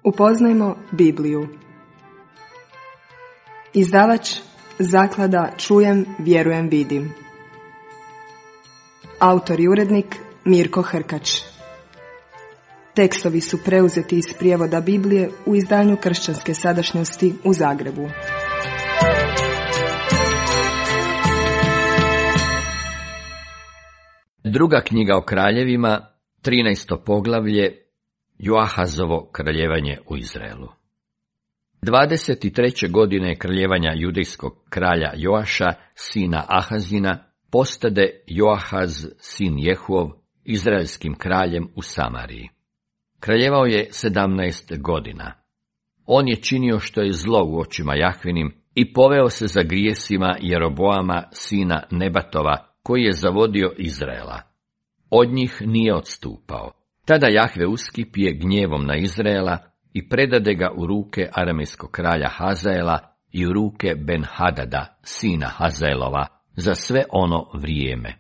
Upoznajmo Bibliju. Izdavač Zaklada Čujem, vjerujem, vidim. Autor i urednik Mirko Hrkač. Tekstovi su preuzeti iz prijevoda Biblije u izdanju Kršćanske sadašnjosti u Zagrebu. Druga knjiga o kraljevima, 13. poglavlje, Joahazovo kraljevanje u Izraelu. 23. godine kraljevanja judejskog kralja Joaša, sina Ahazina, postade Joahaz, sin Jehuov, izraelskim kraljem u Samariji. Kraljevao je 17 godina. On je činio što je zlo u očima Jahvinim i poveo se za grijesima Jeroboama, sina Nebatova, koji je zavodio Izraela. Od njih nije odstupao. Tada Jahve uskipije gnjevom na Izraela i predade ga u ruke aramejskog kralja Hazaela i u ruke Ben-Hadada, sina Hazaelova, za sve ono vrijeme.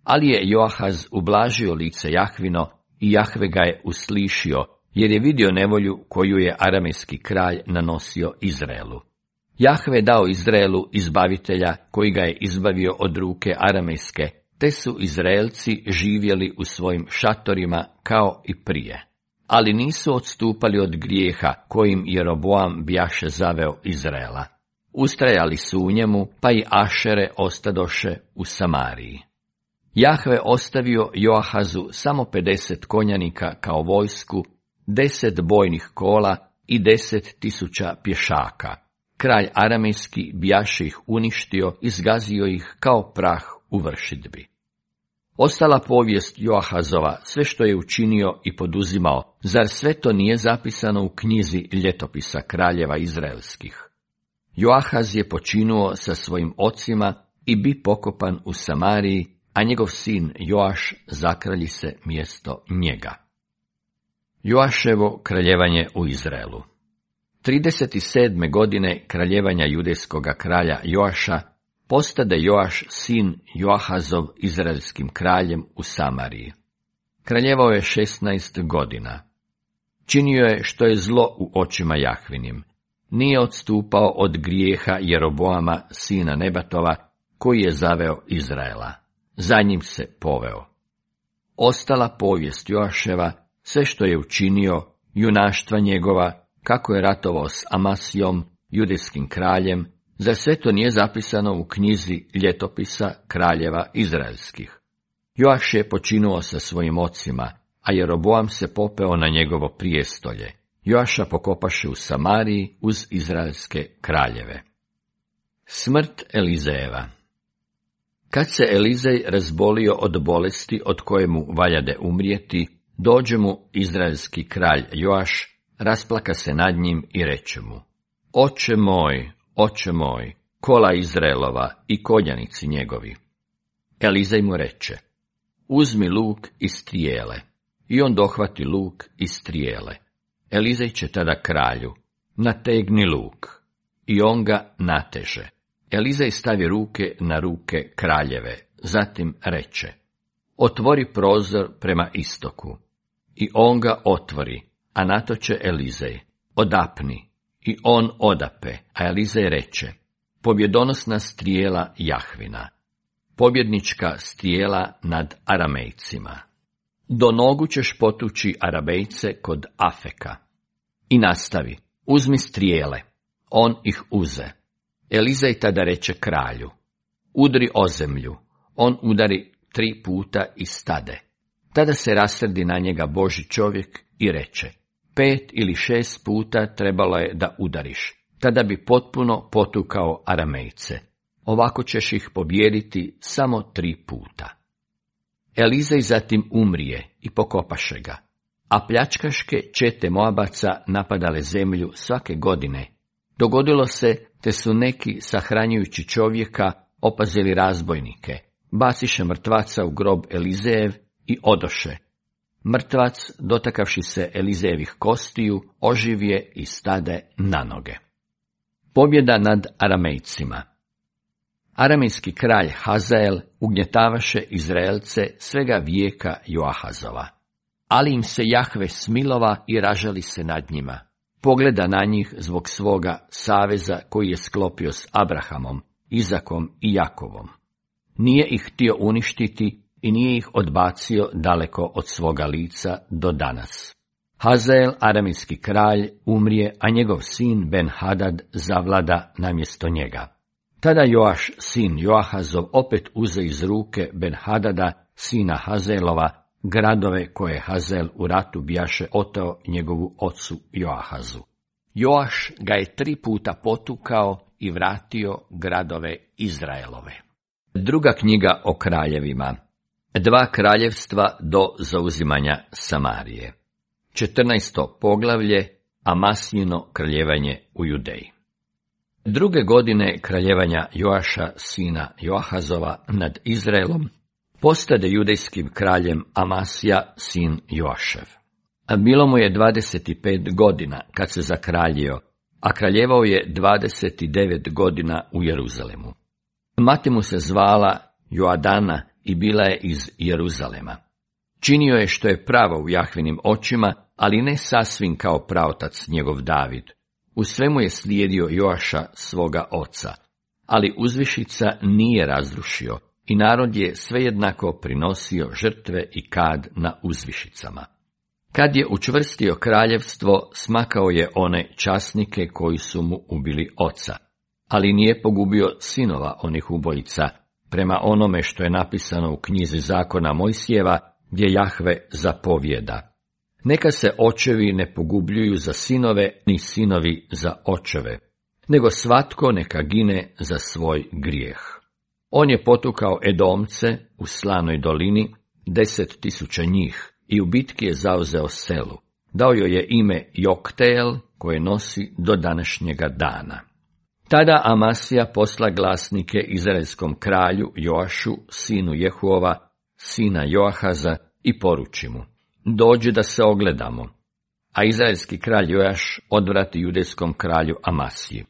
Ali je Joahaz ublažio lice Jahvino i Jahve ga je uslišio, jer je vidio nevolju koju je aramejski kralj nanosio Izraelu. Jahve dao Izraelu izbavitelja koji ga je izbavio od ruke aramejske, te su Izraelci živjeli u svojim šatorima kao i prije. Ali nisu odstupali od grijeha kojim Jeroboam bjaše zaveo Izraela. Ustrajali su u njemu, pa i Ašere ostadoše u Samariji. Jahve ostavio Joahazu samo 50 konjanika kao vojsku, 10 bojnih kola i 10.000 pješaka. Kralj aramejski bjaše ih uništio i zgazio ih kao prah u vršidbi. Ostala povijest Joahazova, sve što je učinio i poduzimao, zar sve to nije zapisano u knjizi ljetopisa kraljeva izraelskih? Joahaz je počinuo sa svojim ocima i bi pokopan u Samariji, a njegov sin Joaš zakralji se mjesto njega. Joaševo kraljevanje u Izraelu. 37. godine kraljevanja judejskoga kralja Joaša postade Joaš sin Joahazov izraelskim kraljem u Samariji. Kraljevao je 16 godina. Činio je što je zlo u očima Jahvinim. Nije odstupao od grijeha Jeroboama, sina Nebatova, koji je zaveo Izraela. Za njim se poveo. Ostala povijest Joaševa, sve što je učinio, junaštva njegova, kako je ratovao s Amasijom, judejskim kraljem, za sve to nije zapisano u knjizi ljetopisa kraljeva izraelskih. Joaš je počinuo sa svojim ocima, a Jeroboam se popeo na njegovo prijestolje. Joaša pokopaše u Samariji uz izraelske kraljeve. Smrt Elizejeva. Kad se Elizej razbolio od bolesti od koje mu valjade umrijeti, dođe mu izraelski kralj Joaš, rasplaka se nad njim i reče mu: Oče moj, kola Izraelova i konjanici njegovi. Elizej mu reče: Uzmi luk i strijele. I on dohvati luk i strijele. Elizej će tada kralju: Nategni luk. I on ga nateže. Elizej stavi ruke na ruke kraljeve, zatim reče: Otvori prozor prema istoku. I on ga otvori, a na to će Elizej: Odapni. I on odape, a Elizej reče: Pobjedonosna strijela Jahvina, pobjednička strijela nad Aramejcima. Do nogu ćeš potući Arabejce kod Afeka. I nastavi: Uzmi strijele. On ih uze. Elizej tada reče kralju: Udri o zemlju. On udari 3 puta i stade. Tada se rasrdi na njega Božji čovjek i reče: 5 ili 6 puta trebalo je da udariš, tada bi potpuno potukao Aramejce. Ovako ćeš ih pobijediti samo 3 puta. Elizej zatim umrije i pokopaše ga, a pljačkaške čete Moabaca napadale zemlju svake godine. Dogodilo se, te su neki, sahranjujući čovjeka, opazili razbojnike, baciše mrtvaca u grob Elizejev i odoše. Mrtvac, dotakavši se Elizejevih kostiju, oživje i stade na noge. Pobjeda nad Aramejcima. Aramejski kralj Hazael ugnjetavaše Izraelce svega vijeka Joahazova. Ali im se Jahve smilova i ražali se nad njima. pogleda na njih zbog svoga saveza koji je sklopio s Abrahamom, Izakom i Jakovom. Nije ih htio uništiti i nije ih odbacio daleko od svoga lica do danas. Hazael, aramejski kralj, umrije, a njegov sin Ben-Hadad zavlada namjesto njega. Tada Joaš, sin Joahazov, opet uze iz ruke Ben-Hadada, sina Hazaelova, gradove koje Hazael u ratu bijaše oteo njegovu ocu Joahazu. Joaš ga je 3 puta potukao i vratio gradove Izraelove. Druga knjiga o kraljevima. 2 kraljevstva do zauzimanja Samarije. 14. poglavlje, Amasijino kraljevanje u Judeji. 2. godine kraljevanja Joaša, sina Joahazova, nad Izraelom, postade judejskim kraljem Amasija, sin Joašev. A bilo mu je 25 godina kad se zakraljio, a kraljevao je 29 godina u Jeruzalemu. Mati mu se zvala Joadana i bila je iz Jeruzalema. Činio je što je pravo u Jahvinim očima, ali ne sasvim kao praotac njegov David. U svemu je slijedio Joaša svoga oca, ali uzvišica nije razrušio i narod je svejednako prinosio žrtve i kad na uzvišicama. Kad je učvrstio kraljevstvo, smakao je one časnike koji su mu ubili oca, ali nije pogubio sinova onih ubojica, prema onome što je napisano u knjizi zakona Mojsijeva, gdje Jahve zapovijeda: neka se očevi ne pogubljuju za sinove, ni sinovi za očeve, nego svatko neka gine za svoj grijeh. On je potukao Edomce u Slanoj dolini, 10.000 njih, i u bitki je zauzeo selu. Dao joj je ime Jokteel, koje nosi do današnjega dana. Tada Amasija posla glasnike izraelskom kralju Joašu, sinu Jehuova, sina Joahaza, i poruči mu: dođi da se ogledamo. A izraelski kralj Joaš odvrati judejskom kralju Amasiji.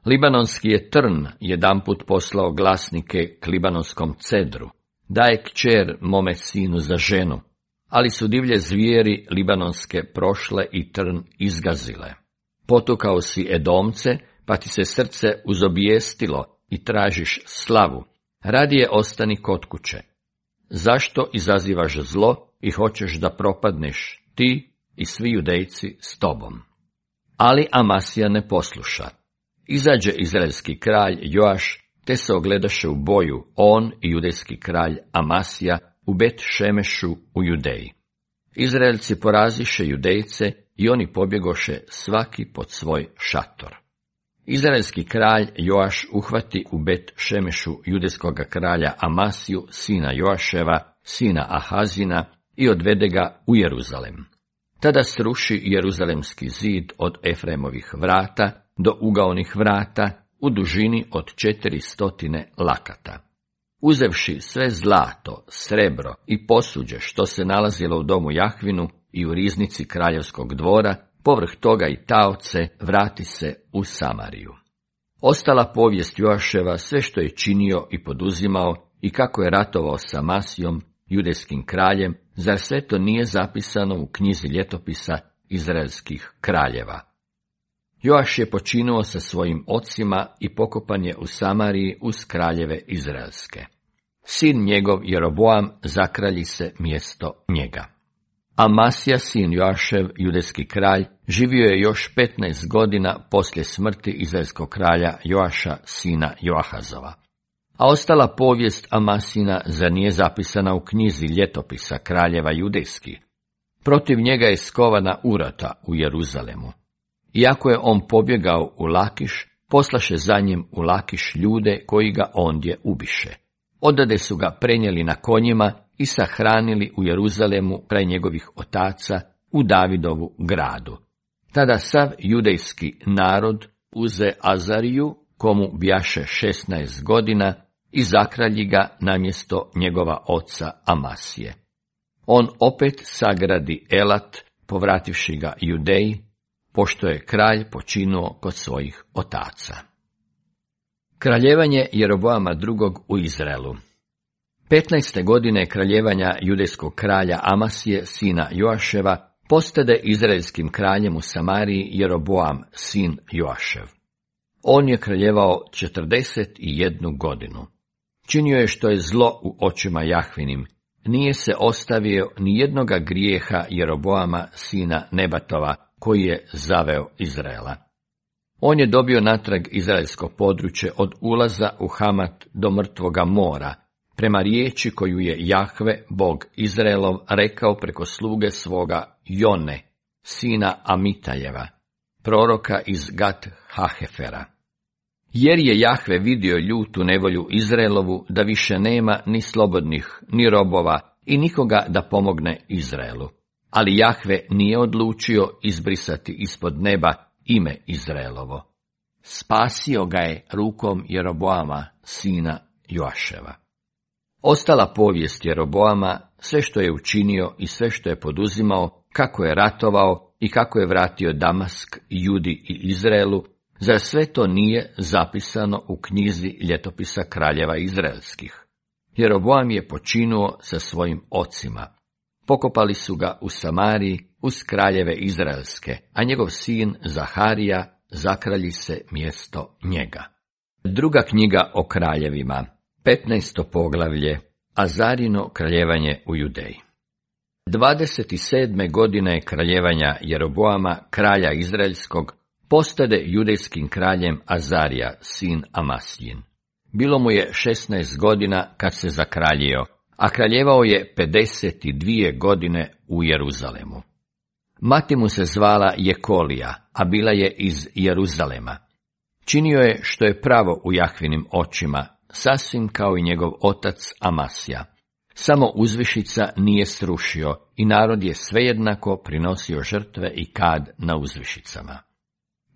Libanonski je trn jedanput poslao glasnike k libanonskom cedru: daje kćer mome sinu za ženu, ali su divlje zvijeri libanonske prošle i trn izgazile. Potukao si Edomce, pa ti se srce uzobijestilo i tražiš slavu, radije ostani kod kuće. Zašto izazivaš zlo i hoćeš da propadneš, ti i svi Judejci s tobom? Ali Amasija ne posluša. Izađe izraelski kralj Joaš, te se ogledaše u boju, on i judejski kralj Amasija, u Bet Šemešu u Judeji. Izraelci poraziše Judejce i oni pobjegoše svaki pod svoj šator. Izraelski kralj Joaš uhvati u Bet Šemešu judejskoga kralja Amasiju, sina Joaševa, sina Ahazina, i odvede ga u Jeruzalem. Tada sruši Jeruzalemski zid od Efremovih vrata do ugaonih vrata u dužini od 400 lakata. Uzevši sve zlato, srebro i posuđe što se nalazilo u domu Jahvinu i u riznici kraljevskog dvora, povrh toga i taoce, vrati se u Samariju. Ostala povijest Joaševa, sve što je činio i poduzimao i kako je ratovao sa Amasijom, judejskim kraljem, zar sve to nije zapisano u knjizi ljetopisa izraelskih kraljeva? Joaš je počinuo sa svojim ocima i pokopan je u Samariji uz kraljeve izraelske. Sin njegov Jeroboam zakralji se mjesto njega. Amasija, sin Joašev, judejski kralj, živio je još 15 godina poslije smrti izraelskog kralja Joaša, sina Joahazova. A ostala povijest Amasina zar nije zapisana u knjizi ljetopisa kraljeva judejskih? Protiv njega je skovana urata u Jeruzalemu. Iako je on pobjegao u Lakiš, poslaše za njim u Lakiš ljude koji ga ondje ubiše. Odade su ga prenijeli na konjima i sahranili u Jeruzalemu kraj njegovih otaca u Davidovu gradu. Tada sav judejski narod uze Azariju, komu bijaše 16 godina, i zakralji ga namjesto njegova oca Amasije. On opet sagradi Elat, povrativši ga Judeji, pošto je kralj počinuo kod svojih otaca. Kraljevanje Jeroboama II. U Izraelu. 15. godine kraljevanja judejskog kralja Amasije, sina Joaševa, postade izraelskim kraljem u Samariji Jeroboam, sin Joašev. On je kraljevao 41 godinu. Činio je što je zlo u očima Jahvinim, nije se ostavio ni jednoga grijeha Jeroboama, sina Nebatova, koji je zaveo Izraela. On je dobio natrag izraelsko područje od ulaza u Hamat do Mrtvoga mora, prema riječi koju je Jahve, Bog Izraelov, rekao preko sluge svoga Jone, sina Amitajeva, proroka iz Gat Hahefera. Jer je Jahve vidio ljutu nevolju Izraelovu, da više nema ni slobodnih, ni robova i nikoga da pomogne Izraelu. Ali Jahve nije odlučio izbrisati ispod neba ime Izraelovo. Spasio ga je rukom Jeroboama, sina Joaševa. Ostala povijest Jeroboama, sve što je učinio i sve što je poduzimao, kako je ratovao i kako je vratio Damask, Judi i Izraelu, zar sve to nije zapisano u knjizi ljetopisa kraljeva izraelskih? Jeroboam je počinuo sa svojim ocima. Pokopali su ga u Samariji uz kraljeve izraelske, a njegov sin Zaharija zakralji se mjesto njega. Druga knjiga o kraljevima, 15. poglavlje, Azarino kraljevanje u Judeji. 27. godine kraljevanja Jeroboama, kralja izraelskog, postade judejskim kraljem Azarija, sin Amasjin. Bilo mu je 16 godina kad se zakraljio, a kraljevao je 52 godine u Jeruzalemu. Mati mu se zvala Jekolija, a bila je iz Jeruzalema. Činio je što je pravo u Jahvinim očima, sasvim kao i njegov otac Amasja. Samo uzvišica nije srušio i narod je svejednako prinosio žrtve i kad na uzvišicama.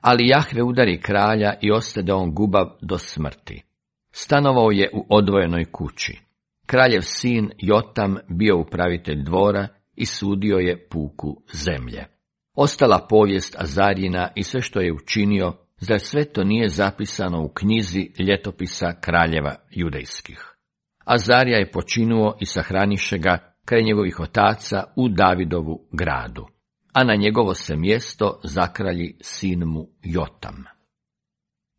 Ali Jahve udari kralja i ostade on gubav do smrti. Stanovao je u odvojenoj kući. Kraljev sin Jotam bio upravitelj dvora i sudio je puku zemlje. Ostala povijest Azarjina i sve što je učinio, zar sve to nije zapisano u knjizi ljetopisa kraljeva judejskih? Azarija je počinuo i sahraniše ga kraj njegovih otaca u Davidovu gradu, a na njegovo se mjesto zakralji sin mu Jotam.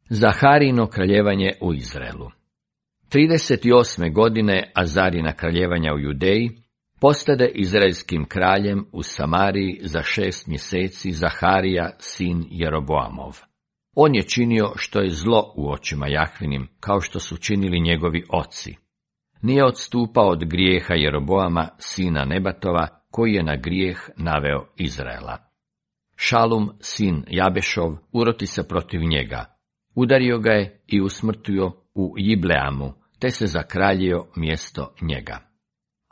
Zaharino kraljevanje u Izraelu. 38. godine Azarina kraljevanja u Judeji postade izraelskim kraljem u Samariji za 6 mjeseci Zaharija, sin Jeroboamov. On je činio što je zlo u očima Jahvinim, kao što su činili njegovi oci. Nije odstupao od grijeha Jeroboama, sina Nebatova, koji je na grijeh naveo Izraela. Šalum, sin Jabešov, uroti se protiv njega. Udario ga je i usmrtio u Jibleamu, te se zakraljio mjesto njega.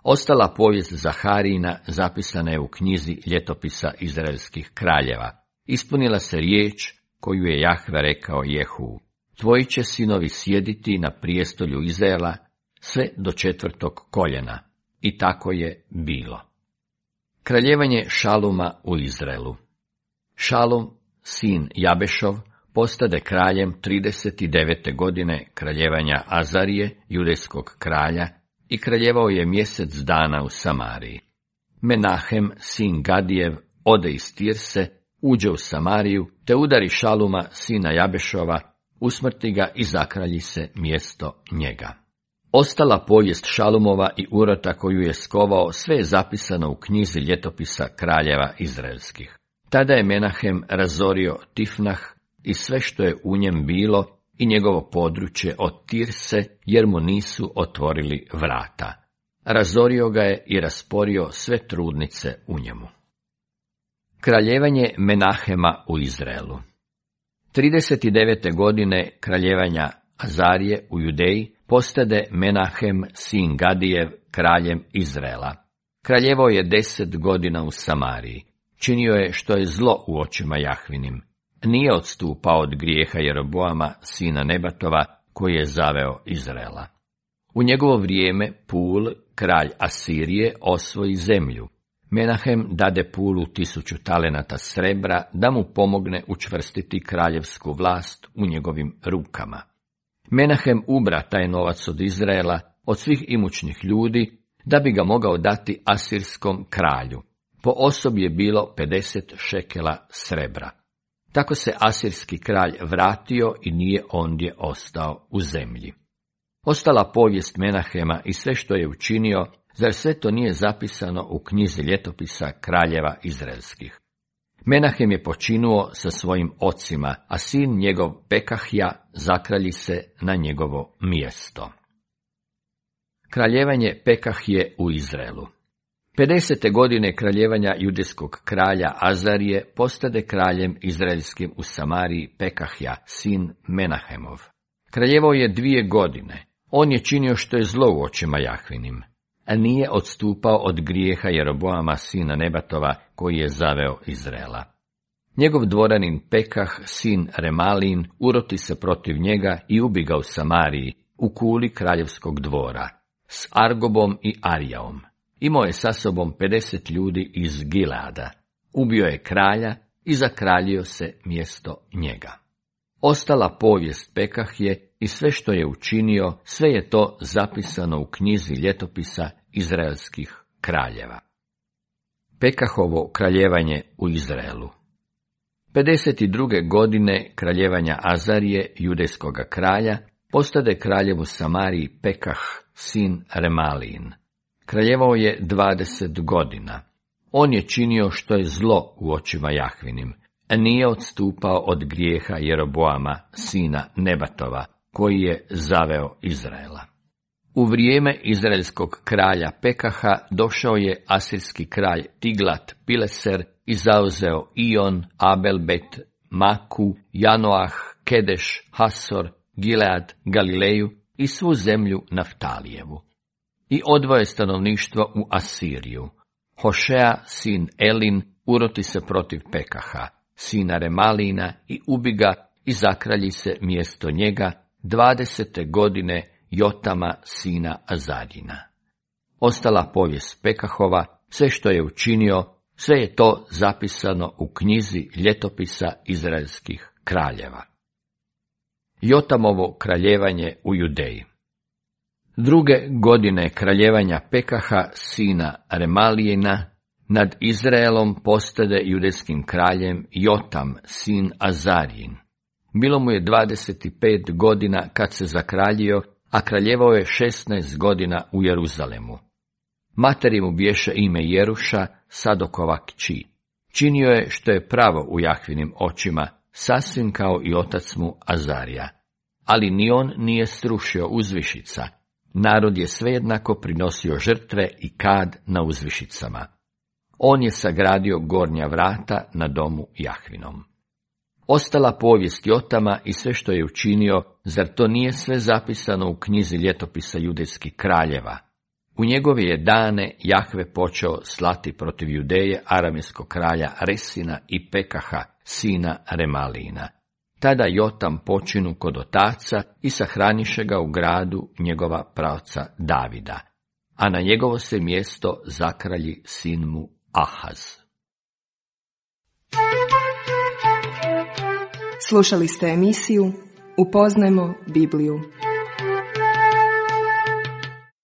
Ostala povijest Zaharijina zapisana je u knjizi ljetopisa izraelskih kraljeva. Ispunila se riječ koju je Jahve rekao Jehu. Tvoji će sinovi sjediti na prijestolju Izraela sve do 4. koljena. I tako je bilo. Kraljevanje Šaluma u Izraelu. Šalum, sin Jabešov, postade kraljem 39. godine kraljevanja Azarije, judejskog kralja, i kraljevao je mjesec dana u Samariji. Menahem, sin Gadijev, ode iz Tirse, uđe u Samariju, te udari Šaluma, sina Jabešova, usmrti ga i zakralji se mjesto njega. Ostala povijest Šalumova i urota koju je skovao, sve je zapisano u knjizi ljetopisa kraljeva izraelskih. Tada je Menahem razorio Tifnah i sve što je u njem bilo i njegovo područje od Tirse, jer mu nisu otvorili vrata. Razorio ga je i rasporio sve trudnice u njemu. Kraljevanje Menahema u Izraelu. 39. godine kraljevanja Azarije u Judeji postade Menahem, sin Gadijev, kraljem Izraela. Kraljevao je 10 godina u Samariji. Činio je što je zlo u očima Jahvinim. Nije odstupao od grijeha Jeroboama, sina Nebatova, koji je zaveo Izraela. U njegovo vrijeme Pul, kralj Asirije, osvoji zemlju. Menahem dade Pulu 1000 talenata srebra da mu pomogne učvrstiti kraljevsku vlast u njegovim rukama. Menahem ubra taj novac od Izraela, od svih imućnih ljudi, da bi ga mogao dati asirskom kralju. Po osobi je bilo 50 šekela srebra. Tako se asirski kralj vratio i nije ondje ostao u zemlji. Ostala povijest Menahema i sve što je učinio, zar sve to nije zapisano u knjizi ljetopisa kraljeva izraelskih? Menahem je počinuo sa svojim ocima, a sin njegov Pekahja zakralji se na njegovo mjesto. Kraljevanje Pekahje u Izraelu. 50. godine kraljevanja judejskog kralja Azarije postade kraljem izraelskim u Samariji Pekahja, sin Menahemov. Kraljevao je 2 godine. On je činio što je zlo u očima Jahvinim, a nije odstupao od grijeha Jeroboama, sina Nebatova, koji je zaveo Izraela. Njegov dvoranin Pekah, sin Remalin, uroti se protiv njega i ubi ga u Samariji, u kuli kraljevskog dvora, s Argobom i Arijaom. Imao je sa sobom 50 ljudi iz Gileada. Ubio je kralja i zakraljio se mjesto njega. Ostala povijest Pekahje i sve što je učinio, sve je to zapisano u knjizi ljetopisa izraelskih kraljeva. Pekahovo kraljevanje u Izraelu. 52. godine kraljevanja Azarije, judejskoga kralja, postade kraljev u Samariji Pekah, sin Remalin. Kraljevao je 20 godina. On je činio što je zlo u očima Jahvinim, a nije odstupao od grijeha Jeroboama, sina Nebatova, koji je zaveo Izraela. U vrijeme izraelskog kralja Pekaha došao je asirski kralj Tiglat Pileser i zauzeo Ion, Abelbet, Maku, Janoah, Kedeš, Hasor, Gilead, Galileju i svu zemlju Naftalijevu. I odvoje stanovništvo u Asiriju. Hošea, sin Elin, uroti se protiv Pekaha, sina Remalina, i ubi ga i zakralji se mjesto njega 20. godine Jotama, sina Azarjina. Ostala povijest Pekahova, sve što je učinio, sve je to zapisano u knjizi ljetopisa izraelskih kraljeva. Jotamovo kraljevanje u Judeji. 2. godine kraljevanja Pekaha, sina Remalijina, nad Izraelom postade judejskim kraljem Jotam, sin Azarjin. Bilo mu je 25 godina kad se zakraljio, a kraljevao je 16 godina u Jeruzalemu. Materi mu biješe ime Jeruša, Sadokova kći. Činio je što je pravo u Jahvinim očima, sasvim kao i otac mu Azarija. Ali ni on nije srušio uzvišica. Narod je svejednako prinosio žrtve i kad na uzvišicama. On je sagradio gornja vrata na domu Jahvinom. Ostala povijest Jotama i sve što je učinio, zar to nije sve zapisano u knjizi ljetopisa judejskih kraljeva? U njegove je dane Jahve počeo slati protiv Judeje aramejskog kralja Resina i Pekaha, sina Remalina. Tada Jotam počinu kod otaca i sahraniše ga u gradu njegova praoca Davida, a na njegovo se mjesto zakralji sin mu Ahaz. Slušali ste emisiju Upoznajmo Bibliju.